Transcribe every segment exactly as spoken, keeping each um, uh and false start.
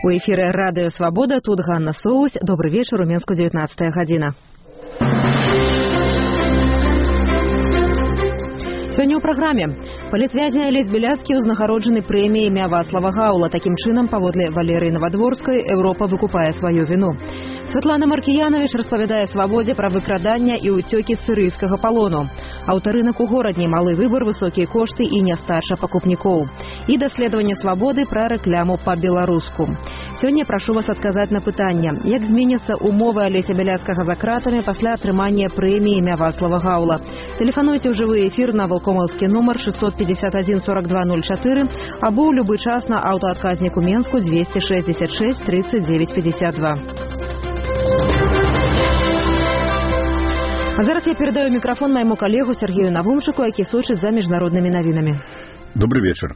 У эфіры радыё Свабода, тут Ганна Соусь. Добрый вечер, у Менску девятнадцатая гадзіна. Сёння ў праграме. Палітвязень Алесь Бяляцкі ўзнагароджаны прэміяй імя Вацлава Гаўла. Такім чынам, паводле Валерыі Навадворскай, Еўропа выкупае сваю віну. Святлана Маркіянович распавядае Свабодзе пра выкрадання і ўцёкі з сірыйскага палону. Аўтарынак у горадні, малы выбар, высокія кошты і нястача пакупнікоў. І даследаванне Свабоды пра рэкламу па-беларуску. Сёння прашу вас адказаць на пытанне, як зменяцца умовы Алеся Бяляцкага за кратамі пасля атрымання прэміі імя Вацлава Гаўла. Тэлефануйце ў жывы эфір на валкомаўскі нумар шестьсот пятьдесят один сорок два ноль четыре або ў любы час на аўтаадказніку Менску двести шестьдесят шесть тридцать девять пятьдесят два. А зараз я передаю микрофон моему коллегу Сергею Навумчику, які сочыць за міжнароднымі навінамі. Добрый вечер.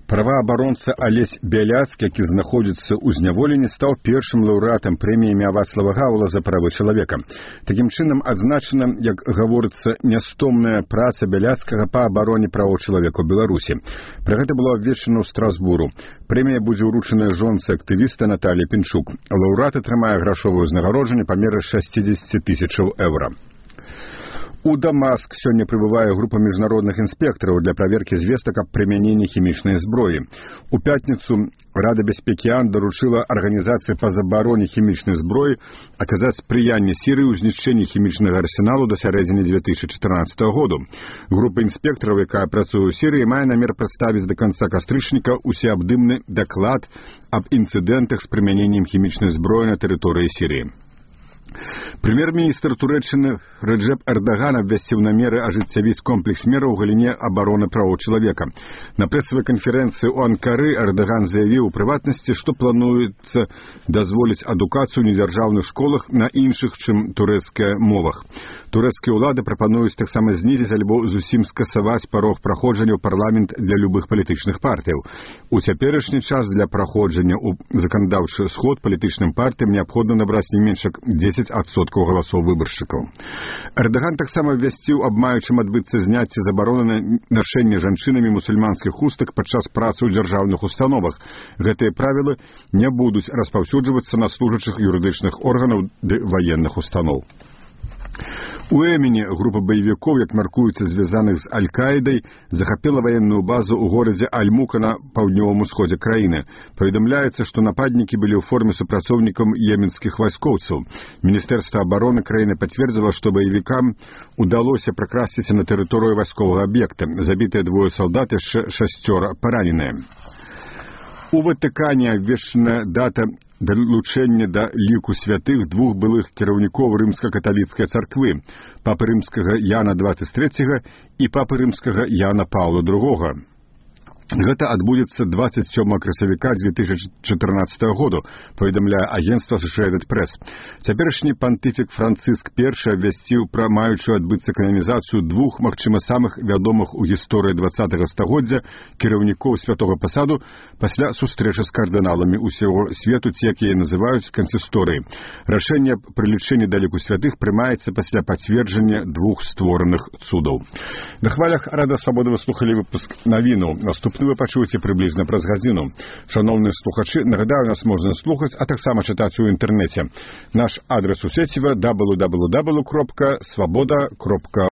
Праваабаронца Алесь Бяляцкі, які знаходзіцца ў зняволенні, стаў першым лаўрэатам прэміі імя Вацлава Гаўла за правы чалавека. Такім чынам адзначана, як гаворыцца, нястомная праца Бяляцкага па абароне правоў чалавека ў Беларусі. Пра гэта было абвешчана ў Страсбуру. Прэмія будзе ўручаная жонцы актывіста Наталі Пінчук. Лаўрэат атрымае грашовае ўзнагароджанне памеры шестьдесят тысяч еўра. У Дамаск сёння прыбывае група міжнародных інспектараў для праверкі звестак аб прымяненні хімічнай зброі. У пятніцу Рада бяспекі ООН даручыла арганізацыі па забароне хімічнай зброі аказаць спрыянне Сірыі ў знішчэнні хімічнага арсеналу да сярэдзіны две тысячи чатырнаццатага году. Група інспектараў, якая працуе ў Сірыі, мае намер прадставіць да канца кастрычніка усеабдымны даклад аб інцыдэнтах з прымяненнем хімічнай зброі на тэрыторыі Сірыі. Прэм'ер-міністр Турэччыны Рэджэп Эрдаган абвясціў намеры ажыццявіць комплекс мераў у галіне абароны правоў чалавека. На прэсавай канферэнцыі ў Анкары Эрдаган заявіў у прыватнасці, што плануецца дазволіць адукацыю ў недзяржаўных школах на іншых, чым турэцкая мовах. Турэцкія ўлады прапануюць таксама знізіць альбо зусім скасаваць парог праходжання ў парламент для любых палітычных партыяў. У цяперашні час для праходжання ў заканадаўчы сход палітычным партыям неабходна набраць не менш як дзесяць адсоткаў галасоў выбаршчыкаў. Эрдаган таксама абвясціў аб маючым адбыцца зняцце забароны на нашэнне жанчынамі мусульманскіх хустак падчас працы ў дзяржаўных установах. Гэтыя правілы не будуць распаўсюджвацца на служачых юрыдычных органаў ды ваенных устаноў. У Эмені група баевікоў, як мяркуецца, звязаных з Аль-Каідай, захапіла ваенную базу ў горадзе Аль-Мука на паўднёвым усходзе краіны. Паведамляецца, што нападнікі былі ў форме супрацоўнікам йеменскіх вайскоўцаў. Міністэрства абароны краіны пацвердзіла, што баевікам удалося пракрасціся на тэрыторыю вайсковага аб'екта. Забітыя двое салдат, яшчэ шасцёра параненыя. У Ватыкане абвешчана дата далучэння да ліку святых двух былых кіраўнікоў рымска-каталіцкай царквы, папы рымскага Яна двадцать третьего і папы рымскага Яна Паўла другога. Гэта адбудзецца двадцать сёмага красавіка две тысячи чатырнаццатага году, паведамляе агенцтва Associated Press. Цяперашні пантыфік Францыск першы абвясціў пра маючую адбыцца кананізацыю двух, магчыма, самых вядомых у гісторыі двадцатага стагоддзя кіраўнікоў святога пасаду пасля сустрэчы з кардыналамі ўсяго свету, ці як яе называюць кансісторыі. Рашэнне аб прылічэнні да ліку святых прымаецца пасля пацверджання двух створаных цудаў. На хвалях Рада Свабоды вы слухалі выпуск навінаў. Наступ вы пачуеце прыблізна праз гадзіну. Шановныя слухачы, нагадаю, нас можна слухаць, а таксама чытаць у інтэрнэце. Наш адрес у сеціва дабл ю дабл ю дабл ю крапка свабода крапка